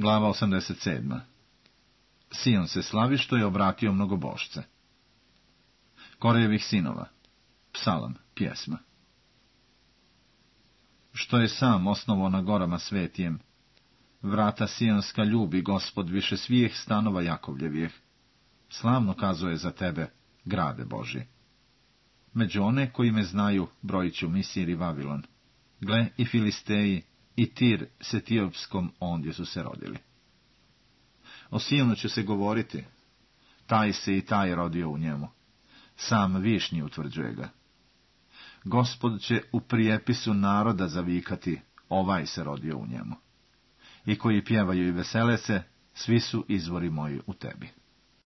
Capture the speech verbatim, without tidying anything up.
Glava osamdeset sedma. Sion se slavi što je obratio mnogobošce. Korejevih sinova. Psalam, pjesma. Što je sam osnovo na gorama svetijem, vrata sionska ljubi Gospod više svih stanova Jakovljevih. Slavno kazuje za tebe, grade Boži. Među one koji me znaju brojit ću Misir i Vavilon. Gle, i Filisteji, i Tir s Etiopskom ondje su se rodili. O Sionu će se govoriti, taj se i taj rodio u njemu. Sam višnji utvrđuje ga. Gospod će u prijepisu naroda zavikati, ovaj se rodio u njemu. I koji pjevaju i vesele se, svi su izvori moji u tebi.